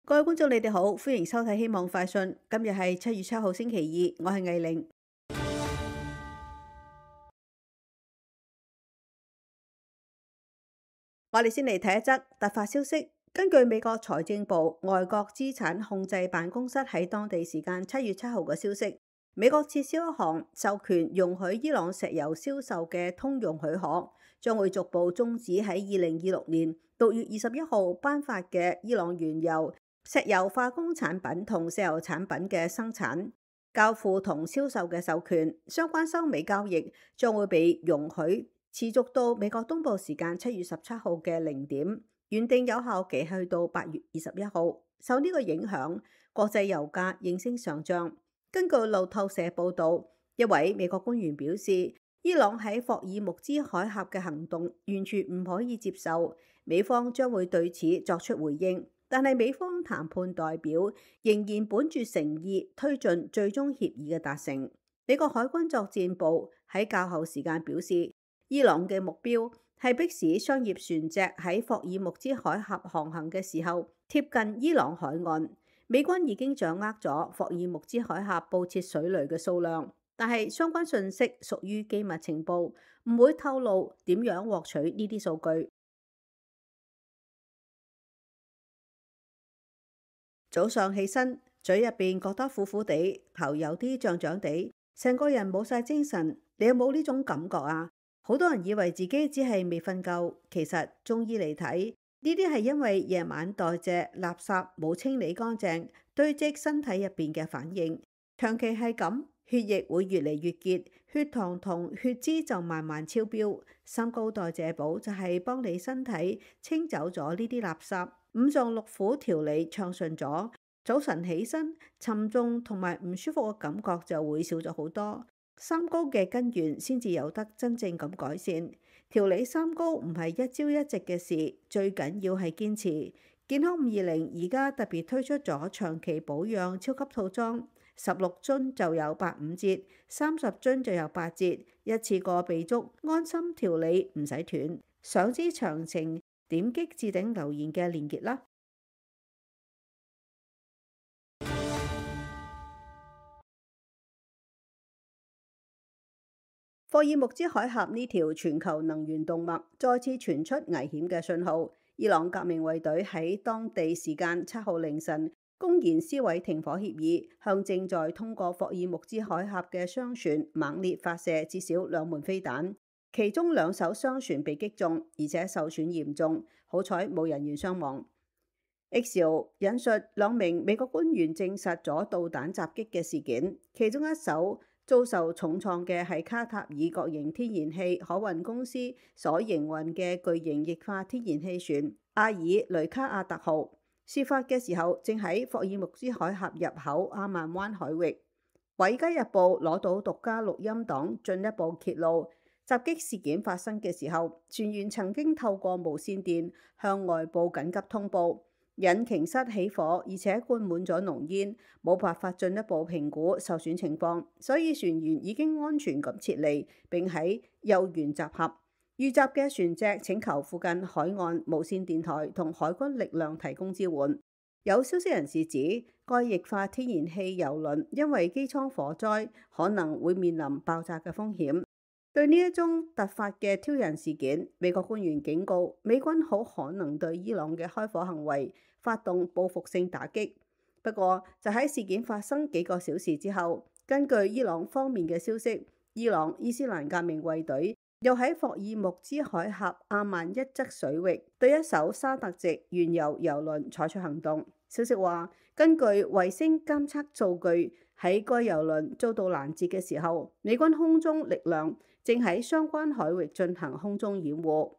各位觀眾，你哋好，歡迎收睇《希望快訊》。今日係7月7號星期二，我係魏玲。我哋先嚟睇一則突發消息。根據美國財政部外國資產控制辦公室喺當地時間7月7號嘅消息，美國撤銷一項授權容許伊朗石油銷售嘅通用許可，將會逐步終止喺2026年6月21號頒發嘅伊朗原油、石油化工產品同石油產品嘅生產、交付同銷售嘅授權。相關收尾交易將會被容許持續到美國東部時間7月17號嘅0點，原定有效期去到8月21號。受呢個影響，國際油價應聲上漲。根據路透社報導，一位美國官員表示，伊朗喺霍爾木茲海峽嘅行動完全唔可以接受，美方將會對此作出回應。但係美方談判代表仍然本住誠意推進最終協議嘅達成。美國海軍作戰部喺較後時間表示，伊朗嘅目標係迫使商業船隻喺霍爾木茲海峽航行嘅時候貼近伊朗海岸。美軍已經掌握咗霍爾木茲海峽布設水雷嘅數量，但係相關信息屬於機密情報，唔會透露點樣獲取呢啲數據。早上起身，嘴入邊覺得苦苦地，頭有啲脹脹地，成個人冇晒精神。你有冇呢種感覺啊？好多人以為自己只係未瞓夠，其實中醫嚟睇，呢啲係因為夜晚代謝垃圾冇清理乾淨，堆積身體入邊嘅反應。長期係咁，血液會越嚟越結，血糖同血脂就慢慢超標。三高代謝補就係幫你身體清走咗呢啲垃圾。五臟六腑調理暢順咗，早晨起身沉重同埋唔舒服嘅感覺就會少咗好多。三高嘅根源先至有得真正咁改善。調理三高唔係一朝一夕嘅事，最緊要係堅持。健康520而家特別推出咗長期保養超級套裝，16樽就有85折，30樽就有8折，一次過備足，安心調理唔使斷。想知詳情，點擊置頂留言嘅連結啦。霍爾木茲海峽呢條全球能源動脈再次傳出危險嘅信號。伊朗革命衛隊喺當地時間7號凌晨公然撕毀停火協議，向正在通過霍爾木茲海峽嘅商船猛烈發射至少2門飛彈。其中2艘商船被擊中，而且受損嚴重，好彩冇人員傷亡。Axios 引述2名美國官員證實咗導彈襲擊嘅事件，其中一艘遭受重創嘅係卡塔爾國營天然氣可運公司所營運嘅巨型液化天然氣船阿爾雷卡亞特號。事發嘅時候正喺霍爾木茲海峽入口阿曼灣海域。《華爾街日報》攞到獨家錄音檔，進一步揭露，襲擊事件發生嘅時候，船員曾經透過無線電向外部緊急通報，引擎室起火，而且灌滿咗濃煙，冇辦法進一步評估受損情況，所以船員已經安全咁撤離，並喺右舷集合。遇襲嘅船隻請求附近海岸無線電台同海軍力量提供支援。有消息人士指，該液化天然氣油輪因為機艙火災，可能會面臨爆炸嘅風險。對呢一宗突發嘅挑釁事件，美國官員警告，美軍好可能對伊朗嘅開火行為發動報復性打擊。不過，就喺事件發生幾個小時之後，根據伊朗方面嘅消息，伊朗伊斯蘭革命衛隊又喺霍爾木茲海峽阿曼一側水域對一艘沙特籍原油油輪採取行動。消息話，根據衛星監測數據，喺該油輪遭到攔截嘅時候，美軍空中力量正喺相關海域進行空中掩護。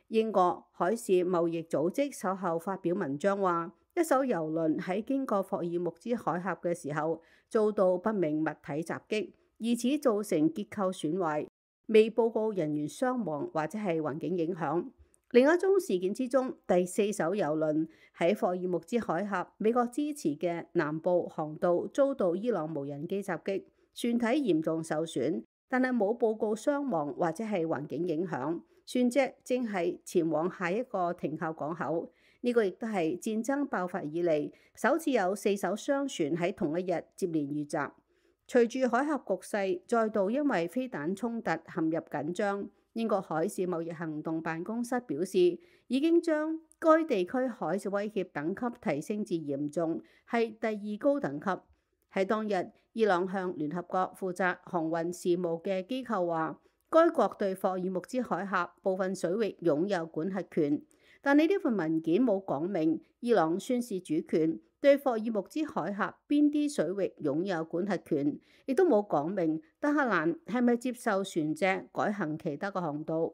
英國海事貿易組織稍後發表文章話，一艘油輪喺經過霍爾木茲海峽嘅時候遭到不明物體襲擊，以此造成結構損壞，未報告人員傷亡或者係環境影響。另一宗事件之中，第4艘油輪喺霍爾木茲海峽美國支持嘅南部航道遭到伊朗無人機襲擊，船體嚴重受損，但係冇報告傷亡或者係環境影響。船隻正係前往下一個停靠港口。呢個亦都係戰爭爆發以嚟首次有4艘商船喺同一日接連遇襲。隨住海峽局勢再度因為飛彈衝突陷入緊張，英國海事貿易行動辦公室表示，已經將該地區海事威脅等級提升至嚴重，係第2高等級。喺當日，伊朗向聯合國負責航運事務嘅機構話，該國對霍爾木茲海峽部分水域擁有管轄權，但係呢份文件冇講明伊朗宣示主權對霍爾木茲海峽邊啲水域擁有管轄權，亦都冇講明德黑蘭係咪接受船隻改行其他嘅航道。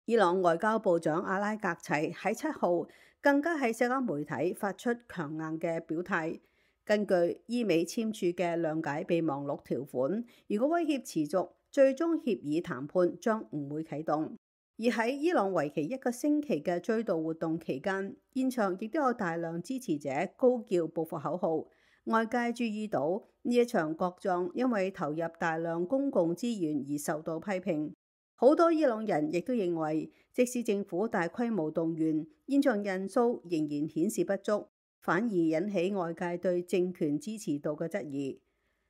伊朗外交部長阿拉格齊喺7號更加喺社交媒體發出強硬嘅表態。根據伊美簽署嘅諒解備忘錄條款，如果威脅持續，最終協議談判將唔會啟動。而喺伊朗為期1個星期嘅追悼活動期間，現場亦都有大量支持者高叫報復口號。外界注意到呢一場國葬因為投入大量公共資源而受到批評。好多伊朗人亦都認為，即使政府大規模動員，現場人數仍然顯示不足，反而引起外界對政權支持度嘅質疑。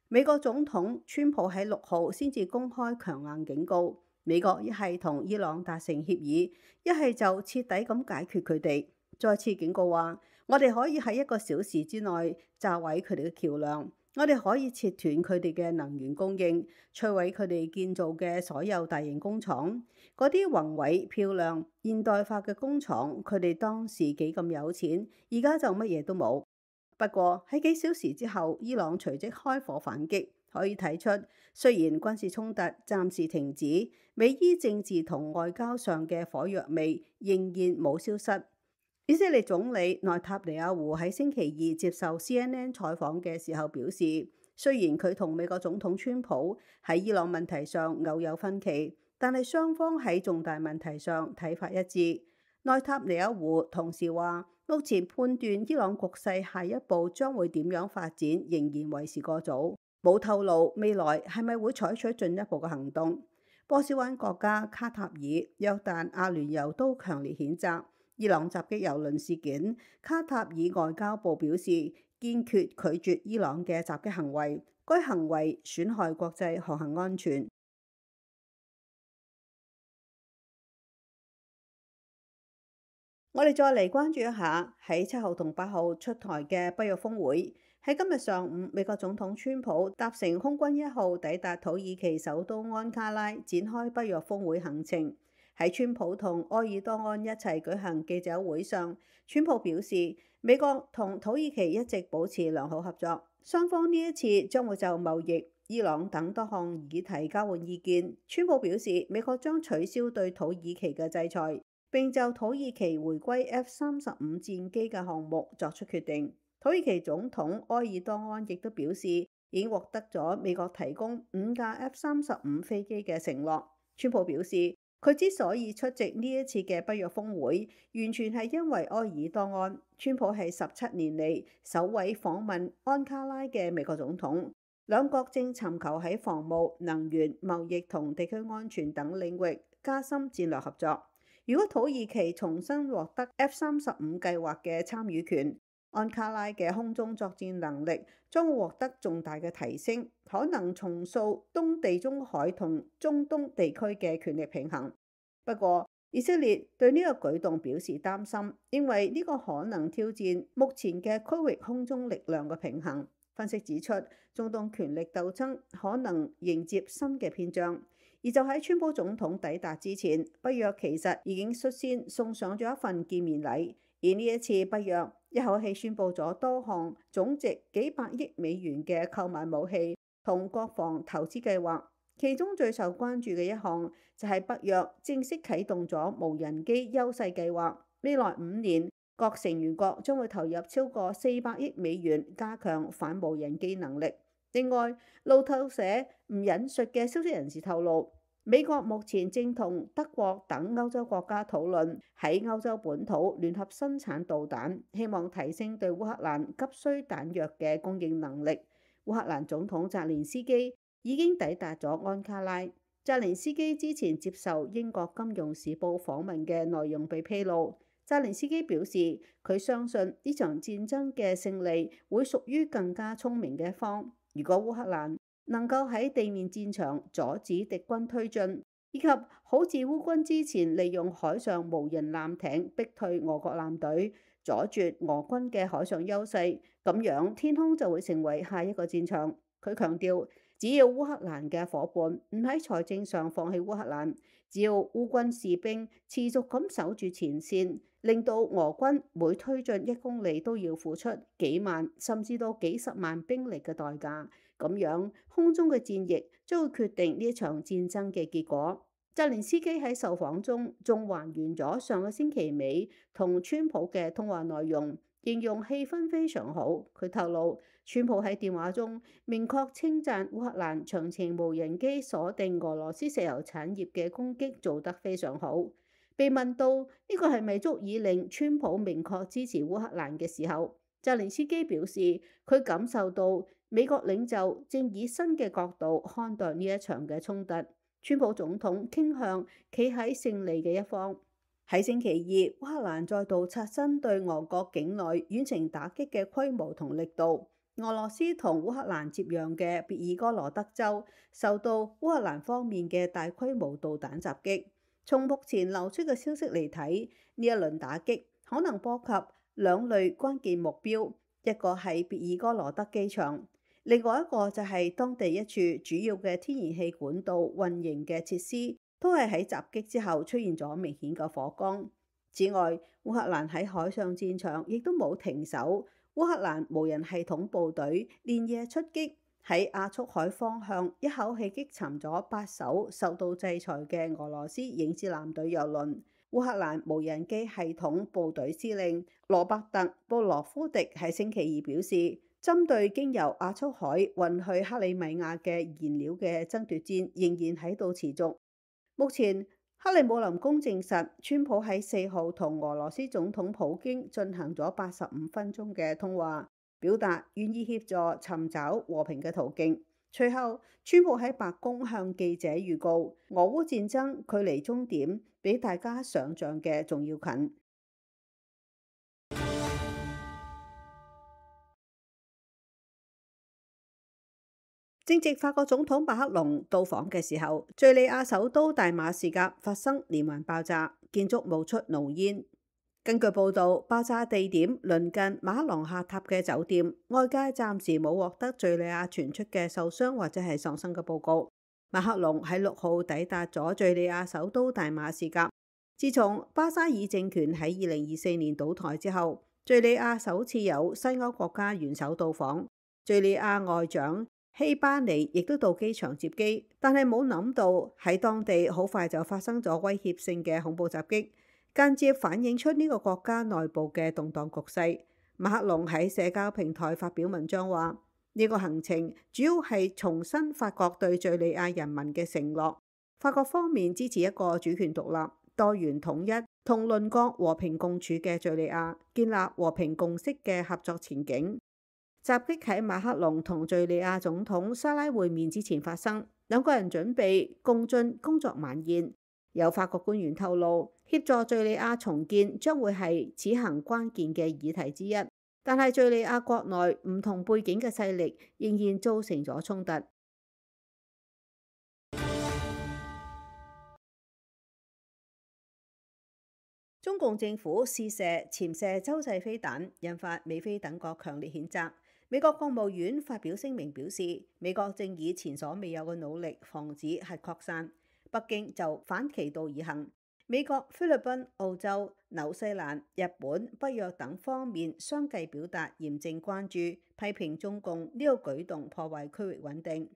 美國總統川普喺6號先至公開強硬警告，美國一係同伊朗達成協議，一係就徹底咁解決佢哋。再次警告話，我哋可以喺1個小時之內炸毀佢哋嘅橋梁，我哋可以切斷佢哋嘅能源供應，摧毀佢哋建造嘅所有大型工廠。嗰啲宏偉漂亮現代化嘅工廠，佢哋當時幾咁有錢，而家就乜嘢都冇。不過喺幾小時之後，伊朗隨即開火反擊，可以睇出雖然軍事衝突暫時停止，美伊政治同外交上嘅火藥味仍然冇消失。以色列總理內塔尼亞胡喺星期2接受 CNN 採訪嘅時候表示，雖然佢同美國總統川普喺伊朗問題上偶有分歧，但係雙方喺重大問題上睇法一致。內塔尼亞胡同時話，目前判斷伊朗局勢下一步將會點樣發展，仍然為時過早，冇透露未來係咪會採取進一步嘅行動。波斯灣國家卡塔爾、約旦、阿聯酋都強烈譴責伊朗襲擊油輪事件。卡塔爾外交部表示，堅決拒絕伊朗嘅襲擊行為，該行為損害國際航行安全。我哋再嚟關注一下喺7號同8號出台嘅北約峰會。喺今日上午，美國總統川普搭乘空軍1號抵達土耳其首都安卡拉，展開北約峰會行程。喺川普同埃爾多安一齊舉行記者會上，川普表示，美國同土耳其一直保持良好合作，雙方呢一次將會就貿易、伊朗等多項議題交換意見。川普表示，美國將取消對土耳其嘅制裁，並就土耳其回歸 F-35戰機嘅項目作出決定。土耳其總統埃爾多安亦都表示，已經獲得咗美國提供5架 F-35飛機嘅承諾。川普表示，佢之所以出席呢一次嘅北約峰會，完全係因為埃爾多安。川普係17年嚟首位訪問安卡拉嘅美國總統。兩國正尋求喺防務、能源、貿易同地區安全等領域加深戰略合作。如果土耳其重新獲得 F-35計劃嘅參與權，安卡拉嘅空中作戰能力將會獲得重大嘅提升，可能重塑東地中海同中東地區嘅權力平衡。不過，以色列對呢個舉動表示擔心，因為呢個可能挑戰目前嘅區域空中力量嘅平衡。分析指出，中東權力鬥爭可能迎接新嘅篇章。而就喺川普總統抵達之前，北約其實已經率先送上咗一份見面禮。而呢一次北約一口氣宣布咗多項總值幾百億美元嘅購買武器同國防投資計劃，其中最受關注嘅一項就係北約正式啟動咗無人機優勢計劃。未來5年，各成員國將會投入超過400億美元加強反無人機能力。另外，路透社唔引述嘅消息人士透露，美國目前正同德國等歐洲國家討論喺歐洲本土聯合生產導彈，希望提升對烏克蘭急需彈藥嘅供應能力。烏克蘭總統澤連斯基已經抵達咗安卡拉。澤連斯基之前接受英國金融時報訪問嘅內容被披露，澤連斯基表示，佢相信呢場戰爭嘅勝利會屬於更加聰明嘅一方。如果烏克蘭能夠喺地面戰場阻止敵軍推進，以及好似烏軍之前利用海上無人艦艇逼退俄國艦隊，阻絕俄軍嘅海上優勢，咁樣天空就會成為下一個戰場。佢強調，只要烏克蘭嘅伙伴唔喺財政上放棄烏克蘭，只要烏軍士兵持續咁守住前線，令到俄軍每推進1公里都要付出幾萬甚至到幾十萬兵力嘅代價，咁樣空中嘅戰役將會決定呢一場戰爭嘅結果。澤連斯基喺受訪中仲還原咗上個星期尾同川普嘅通話內容，形容氣氛非常好。佢透露，川普喺電話中明確稱讚烏克蘭長程無人機鎖定俄羅斯石油產業嘅攻擊做得非常好。被問到呢個係咪足以令川普明確支持烏克蘭嘅時候，澤連斯基表示佢感受到美國領袖正以新嘅角度看待呢一場嘅衝突。川普總統傾向企喺勝利嘅一方。喺星期二，烏克蘭再度刷新對俄國境內遠程打擊嘅規模同力度。俄羅斯同烏克蘭接壤嘅別爾哥羅德州受到烏克蘭方面嘅大規模導彈襲擊。從目前流出嘅消息嚟睇，呢一輪打擊可能波及兩類關鍵目標，一個係別爾哥羅德機場。另外一個就係當地一處主要嘅天然氣管道運營嘅設施，都係喺襲擊之後出現咗明顯嘅火光。此外，烏克蘭喺海上戰場亦都冇停手，烏克蘭無人系統部隊連夜出擊，喺亞速海方向一口氣擊沉咗8艘受到制裁嘅俄羅斯影子艦隊油輪。烏克蘭無人機系統部隊司令羅伯特布羅夫迪喺星期二表示，針對經由亞速海運去克里米亞嘅燃料嘅爭奪戰仍然喺度持續。目前，克里姆林宮證實，川普喺4號同俄羅斯總統普京進行咗85分鐘嘅通話，表達願意協助尋找和平嘅途徑。隨後，川普喺白宮向記者預告，俄烏戰爭距離終點比大家想象嘅仲要近。正值法國總統馬克龍到訪嘅時候，敘利亞首都大馬士革發生連環爆炸，建築冒出濃煙。根據報道，爆炸地點鄰近馬克龍下榻嘅酒店，外界暫時冇獲得敘利亞傳出嘅受傷或者係喪生嘅報告。馬克龍喺6號抵達咗敘利亞首都大馬士革。自從巴沙爾政權喺2024年倒台之後，敘利亞首次有西歐國家元首到訪。敘利亞外長希巴尼亦都到機場接機，但係冇諗到喺當地好快就發生咗威脅性嘅恐怖襲擊，間接反映出呢個國家內部嘅動盪局勢。馬克龍喺社交平台發表文章話，呢個行程主要係重申法國對敘利亞人民嘅承諾。法國方面支持一個主權獨立、多元統一同鄰國和平共處嘅敘利亞，建立和平共識嘅合作前景。襲擊喺馬克龍同敘利亞總統沙拉會面之前發生，兩個人準備共進工作晚宴。有法國官員透露，協助敘利亞重建將會係此行關鍵嘅議題之一，但係敘利亞國內唔同背景嘅勢力仍然造成咗衝突。中共政府試射潛射洲際飛彈，引發美非等國強烈譴責。美國國務院發表聲明表示，美國正以前所未有嘅努力防止核擴散。北京就反其道而行。美國、菲律賓、澳洲、紐西蘭、日本、北約等方面相繼表達嚴正關注，批評中共呢個舉動破壞區域穩定。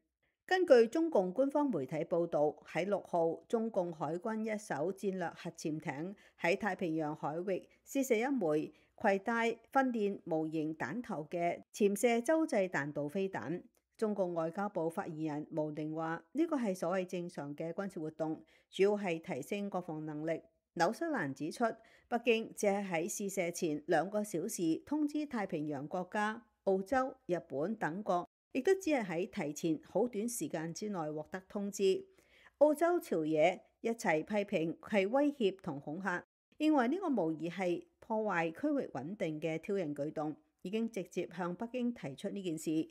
根據中共官方媒體報導，喺6號，中共海軍一艘戰略核潛艇喺太平洋海域試射一枚攜帶訓練模型彈頭嘅潛射洲際彈道飛彈。中共外交部發言人毛寧話：呢個係所謂正常嘅軍事活動，主要係提升國防能力。紐西蘭指出，北京只係喺試射前2個小時通知太平洋國家澳洲、日本等國，亦都只係喺提前好短時間之內獲得通知。澳洲朝野一齊批評係威脅同恐嚇，認為呢個無疑係破壞區域穩定嘅挑釁舉動，已經直接向北京提出呢件事。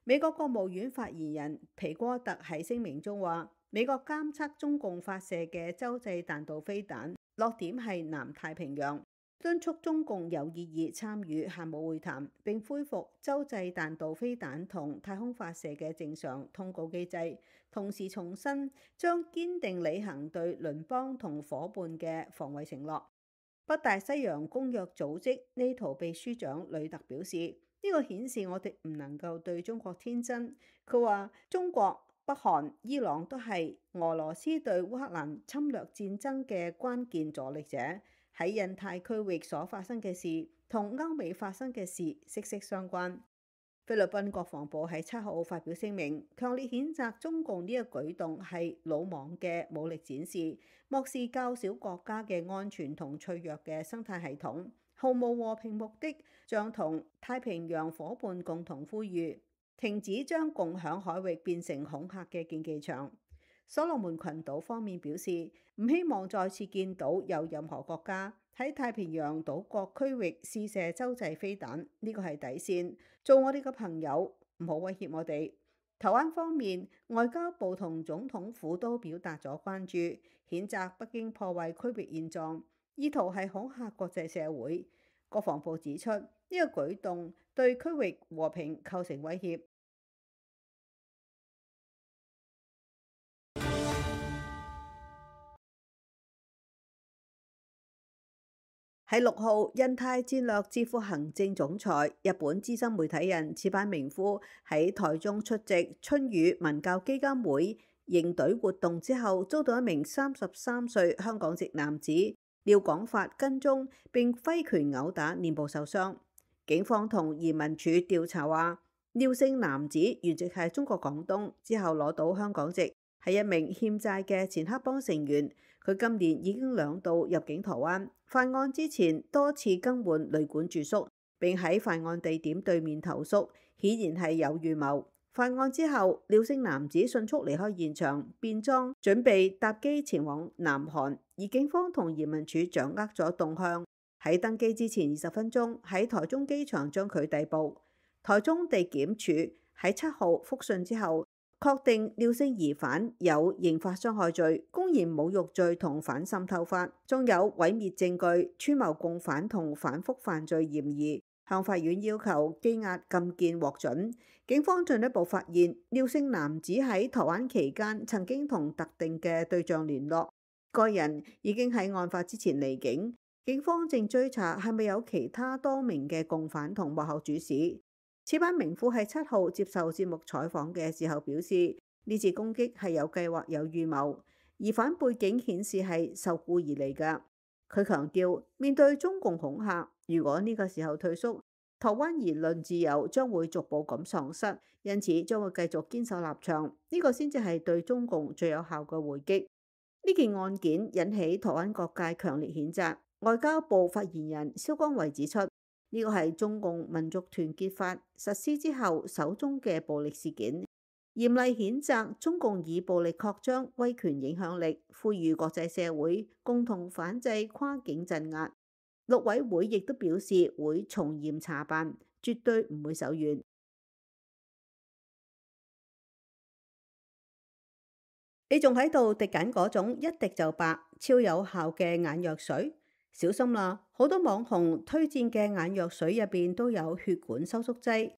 美國國務院發言人皮戈特喺聲明中話，美國監測中共發射嘅洲際彈道飛彈落點係南太平洋，敦促中共有意義參與限武會談，並恢復洲際彈道飛彈同太空發射嘅正常通告機制，同時重申將堅定履行對鄰邦同伙伴嘅防衛承諾。北大西洋公約組織呢圖秘書長呂特表示，呢個顯示我哋唔能夠對中國天真。佢話中國、北韓、伊朗都係俄羅斯對烏克蘭侵略戰爭嘅關鍵助力者。喺印太區域所發生嘅事同歐美發生嘅事息息相關。菲律賓國防部喺7號發表聲明，強烈譴責中共呢個舉動係魯莽嘅武力展示，漠視較小國家嘅安全同脆弱嘅生態系統，毫無和平目的，將同太平洋伙伴共同呼籲停止將共享海域變成恐嚇嘅競技場。所羅門群島方面表示，唔希望再次見到有任何國家喺太平洋島國區域試射洲際飛彈，呢個係底線。做我哋嘅朋友，唔好威脅我哋。台灣方面，外交部同總統府都表達咗關注，譴責北京破壞區域現狀，意圖係恐嚇國際社會。國防部指出，呢個舉動對區域和平構成威脅。喺6號，印太戰略智庫行政總裁、日本資深媒體人矢板明夫喺台中出席春雨文教基金會迎隊活動之後，遭到一名33歲香港籍男子廖廣發跟蹤並揮拳毆打，臉部受傷。警方同移民署調查話，廖姓男子原籍係中國廣東，之後攞到香港籍，係一名欠債嘅前黑幫成員。佢今年已經2度入境台灣，犯案之前多次更換旅館住宿，並喺犯案地點對面投宿，顯然係有預謀。犯案之後，廖姓男子迅速離開現場，變裝準備搭機前往南韓，而警方同移民署掌握咗動向，喺登機之前20分鐘喺台中機場將佢逮捕。台中地檢署喺7號覆訊之後，確定廖姓疑犯有刑法傷害罪、公然侮辱罪同反滲透法，仲有毀滅證據、串謀共犯同反覆犯罪嫌疑，向法院要求羈押禁見獲准。警方進一步發現，廖姓男子喺台灣期間曾經同特定嘅對象聯絡，該人已經喺案發之前離境，警方正追查係咪有其他多名嘅共犯同幕後主使。矢板明夫喺7號接受節目採訪嘅時候表示，呢次攻擊係有計劃有預謀，疑犯背景顯示係受僱而嚟㗎。佢強調，面對中共恐嚇，如果呢個時候退縮，台灣言論自由將會逐步咁喪失，因此將會繼續堅守立場，呢個先至係對中共最有效嘅回擊。呢件案件引起台灣各界強烈譴責。外交部發言人蕭光偉指出，呢個係中共民族團結法實施之後首宗嘅暴力事件，嚴厲譴責中共以暴力擴張威權影響力，呼籲國際社會共同反制跨境鎮壓。陸委會亦都表示會從嚴查辦，絕對唔會手軟。你仲喺度滴緊嗰種一滴就白、超有效嘅眼藥水？小心啦！好多網紅推薦嘅眼藥水入邊都有血管收縮劑，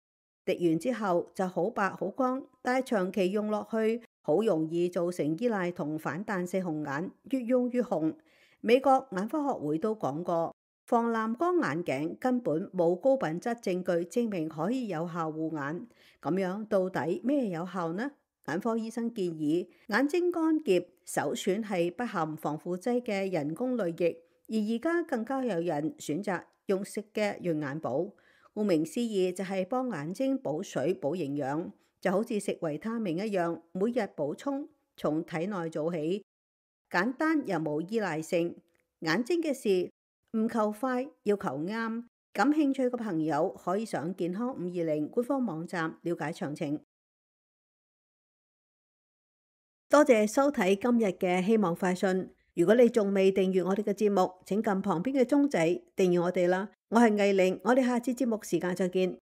滴完之後就好白好光，但係長期用落去好容易造成依賴同反彈性紅眼，越用越紅。美國眼科學會都講過，防藍光眼鏡根本冇高品質證據證明可以有效護眼。咁樣到底咩有效呢？眼科醫生建議，眼睛乾澀首選係不含防腐劑嘅人工淚液。而家更加有人選擇用食嘅潤眼寶，顧名思義就係幫眼睛補水補營養，就好似食維他命一樣，每日補充，從體內做起，簡單又冇依賴性。眼睛嘅事唔求快，要求啱。感興趣嘅朋友可以上健康520官方網站了解詳情。多謝收睇今日嘅希望快訊。如果你仲未訂閱我哋嘅節目，請撳旁邊嘅鐘仔訂閱我哋啦。我係藝玲，我哋下次節目時間再見。